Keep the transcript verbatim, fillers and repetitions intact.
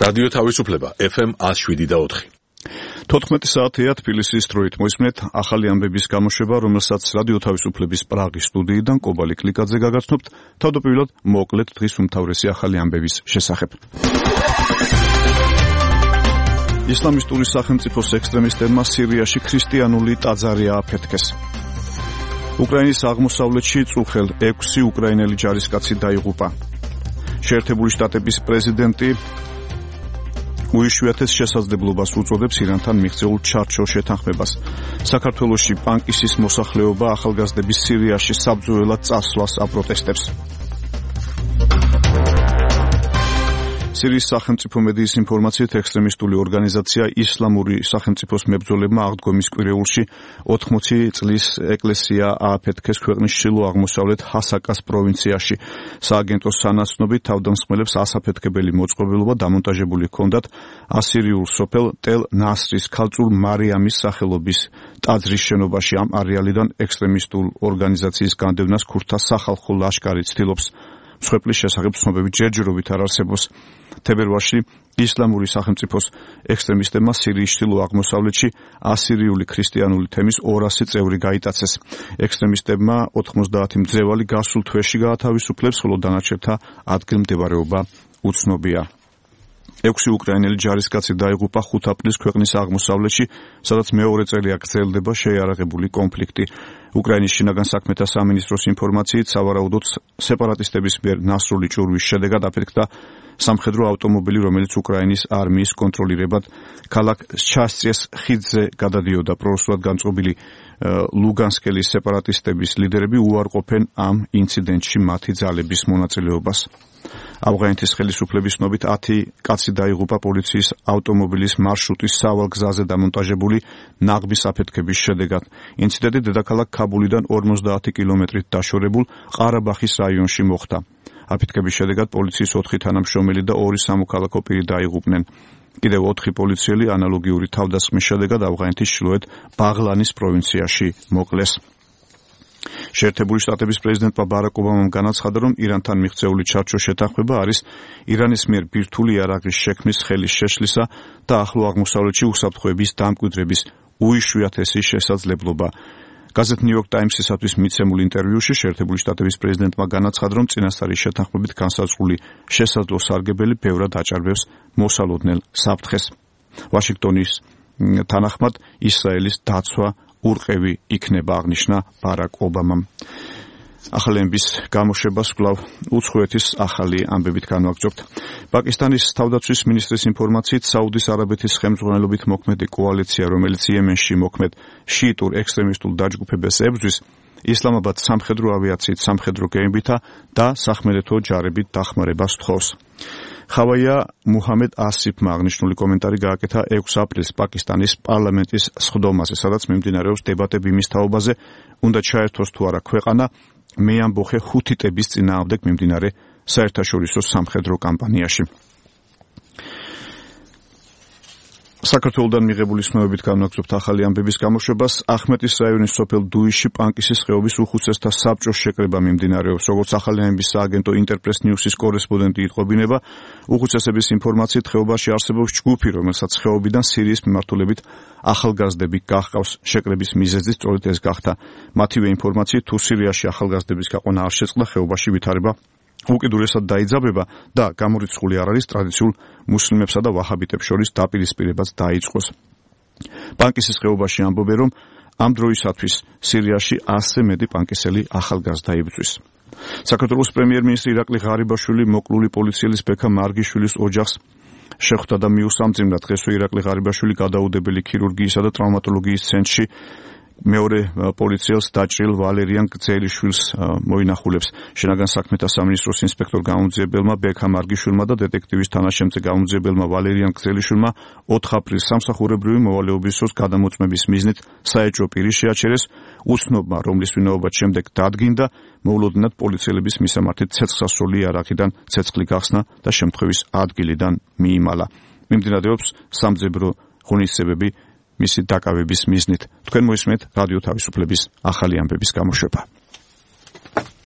რადიო თავისუფლება ეფ ემ one oh seven და four. თოთხმეტი საათია თბილისის დროით მოისმენთ ახალი ამბების გამოშვება, რომელსაც რადიო თავისუფლების პრაღის სტუდიიდან კობალი კლიკაძე გაგაცნობთ. თავდაპირველად მოკლედ დღის უმთავრესი ახალი ამბების შესახებ. ისლამისტური სახელმწიფოს ექსტრემისტებმა სირიაში ქრისტიანული ტაძარი ააფეთქეს. უკრაინის აღმოსავლეთში წუხელ ექვსი უკრაინელი ჯარისკაცი დაიღუპა. შეერთებული შტატების პრეზიდენტი უიშვიათეს შესაძლებლობას უწოდებს ირანთან მიღწეულ ჩარჩოს შეთანხმებას. საქართველოში პანკისის მოსახლეობა ახალგაზრდების სირიაში საბრძოლველად წასვლას აპროტესტებს. სირიის სახელმწიფო მედიის ინფორმაციით ექსტრემისტული ორგანიზაცია ისლამური სახელმწიფოს მებრძოლებმა აღდგომის კვირეულში ოთხმოცი წლის ეკლესია ააფეთქეს ქვეყნის ჩრდილო-აღმოსავლეთ ჰასაკას პროვინციაში. სააგენტოს სანაცნობით თავდამსხმელებს ასაფეთქებელი მოწყობილობა დამონტაჟებული ჰქონდათ ასირიულ სოფელ ტელ ნასრის ქალწულ მარიამის სახელობის ტაძრის შენობაში. ამ არეალიდან ექსტრემისტულ ორგანიზაციის განდევნას ქურთთა სახალხო ლაშქარი ცდილობს. მსხვერპლის შესახებ ცნობები ჯერჯერობით არ არსებობს. თებერვალში ისლამური სახელმწიფოს ექსტრემისტებმა სირიის ჩრდილო-აღმოსავლეთში ასირიული ქრისტიანული თემის ორასი წევრი გაიტაცეს. ექსტრემისტებმა ოთხმოცდაათი მძევალი გასულ თვეში გაათავისუფლეს, ხოლო დანარჩენთა ადგილმდებარეობა უცნობია. ექვსი უკრაინელი ჯარისკაცი დაიღუპა ხუთ აპრილს ქვეყნის აღმოსავლეთში, სადაც მეორე წელია გრძელდება შეიარაღებული კონფლიქტი. უკრაინის შინაგან საქმეთა სამინისტროს ინფორმაციით, სავარაუდოდ სეპარატისტების მიერ ნასრული ჭურვის შედეგად აფეთქდა სამხედრო ავტომობილი, რომელიც უკრაინის არმიის კონტროლირებად ქალაქ შასტიეს ხიდზე გადადიოდა. პრორუსულად განწყობილი ლუგანსკელის სეპარატისტების ლიდერები უარყოფენ ამ ინციდენტში მათი ძალების მონაწილეობას. ავღანეთის ხელისუფლების ცნობით ათი კაცი დაიღუპა პოლიციის ავტომობილის მარშრუტის სავალ გზაზე დამონტაჟებული ნაღბის აფეთქების შედეგად. ინციდენტი დედაქალაქ ქაბულიდან ორმოცდაათი კილომეტრით დაშორებულ ყარაბახის რაიონში მოხდა. აფეთქების შედეგად პოლიციის ოთხი თანამშრომელი და ორი სამოქალაქო პირი დაიღუპნენ. კიდევ ოთხი პოლიციელი ანალოგიური თავდასხმის შედეგად ავღანეთის ჩრდილოეთ ბაღლანის პროვინციაში მოკლეს. შეერთებული შტატების პრეზიდენტმა ბარაკ ობამამ განაცხადა, რომ ირანთან მიღწეული ჩარჩოს შეთანხმება არის ირანის მიერ ბირთვული იარაღის შექმნის ხელის შეშლისა და ახლო აღმოსავლეთში უსაფრთხოების დამკვიდრების უიშვიათესი შესაძლებლობა. გაზეთ ნიუ-იორკ ტაიმსისათვის მიცემულ ინტერვიუში შეერთებული შტატების პრეზიდენტმა განაცხადა, რომ წინასწარი შეთანხმებით განსაზღვრული შესაძლო სარგებელი ბევრად აჭარბებს მოსალოდნელ საფრთხეს. ვაშინგტონის თანახმად ისრაელის დაცვა ურყევი იქნება, აღნიშნა ბარაკ ობამამ. ახალი ამბების გამოშვებას კვლავ უცხოეთის ახალი ამბებით განვაგრძობთ. პაკისტანის თავდაცვის მინისტრის ინფორმაციით, საუდის არაბეთის ხელმძღვანელობით მოქმედი კოალიცია, რომელიც იემენში მოქმედ შიიტურ ექსტრემისტულ დაჯგუფებას ებრძვის, ისლამაბადს სამხედრო ავიაციით, სამხედრო გემებითა და სახმელეთო ჯარებით დახმარებას თხოვს. ხავაია მუჰამედ ასიფმა აღნიშნული კომენტარი გააკეთა ექვსი აპრილს პაკისტანის პარლამენტის სხდომაზე, სადაც მიმდინარეობს დებატები იმის თაობაზე, უნდა ჩაერთოს თუ არა ქვეყანა მეამბოხე ჰუთიტების წინააღმდეგ მიმდინარე საერთაშორისო სამხედრო კამპანიაში. საქართველოდან მიღებული ცნობებით განვაგრძობთ ახალი ამბების გამოშვებას. ახმეტის რაიონის სოფელ დუიში პანკისის ხეობის უხუცესთა საბჭოს შეკრება მიმდინარეობს. როგორც ახალი ამბების სააგენტო ინტერპრეს ნიუსის კორესპონდენტი იტყობინება, უხუცესების ინფორმაციით ხეობაში არსებობს ჯგუფი, რომელსაც ხეობიდან სირიის მიმართულებით ახალგაზრდები გაჰყავს. შეკრების მიზეზი სწორედ ეს გახდა. მათივე ინფორმაციით, თუ სირიაში ახალგაზრდების გაყვანა არ შეწყდა, ხეობაში ვითარება უკიდურესად დაიძაბება და გამორიცხული არ არის ტრადიციულ მუსლიმებსა და ვაჰაბიტებს შორის დაპირისპირებაც დაიწყოს. პანკისის ხეობაში ამბობენ, რომ ამ დროისათვის სირიაში ასზე მეტი პანკისელი ახალგაზრდა იბრძვის. საქართველოს პრემიერ-მინისტრი ირაკლი ღარიბაშვილი მოკლული პოლიციელის ბექა მარგიშვილის ოჯახს შეხვდა და მიუსამძიმრა. დღესვე ირაკლი ღარიბაშვილი გადაუდებელი ქირურგიისა და ტრავმატოლოგიის ცენტრში მეორე პოლიციელს დაჭრილ ვალერიან გძელიშვილს მოინახულებს. შინაგან საქმეთა სამინისტროს ინსპექტორ გამოძიებელმა ბექა მარგიშვილმა და დეტექტივის თანაშემწე გამოძიებელმა ვალერიან გძელიშვილმა ოთხ აპრილს სამსახურებრივი მოვალეობის დროს გადამოწმების მიზნით საეჭვო პირი შეაჩერეს. უცნობმა, რომლის ვინაობაც შემდეგ დადგინდა, მოულოდნელად პოლიციელების მისამართით ცეცხლსასროლი იარაღიდან ცეცხლი გახსნა და შემთხვევის ადგილიდან მიიმალა. მიმდინარეობს სამძებრო ღონისძიებები მისი დაკავების მიზნით. თქვენ მოისმენთ რადიო თავისუფლების ახალი ამბების გამოშვება.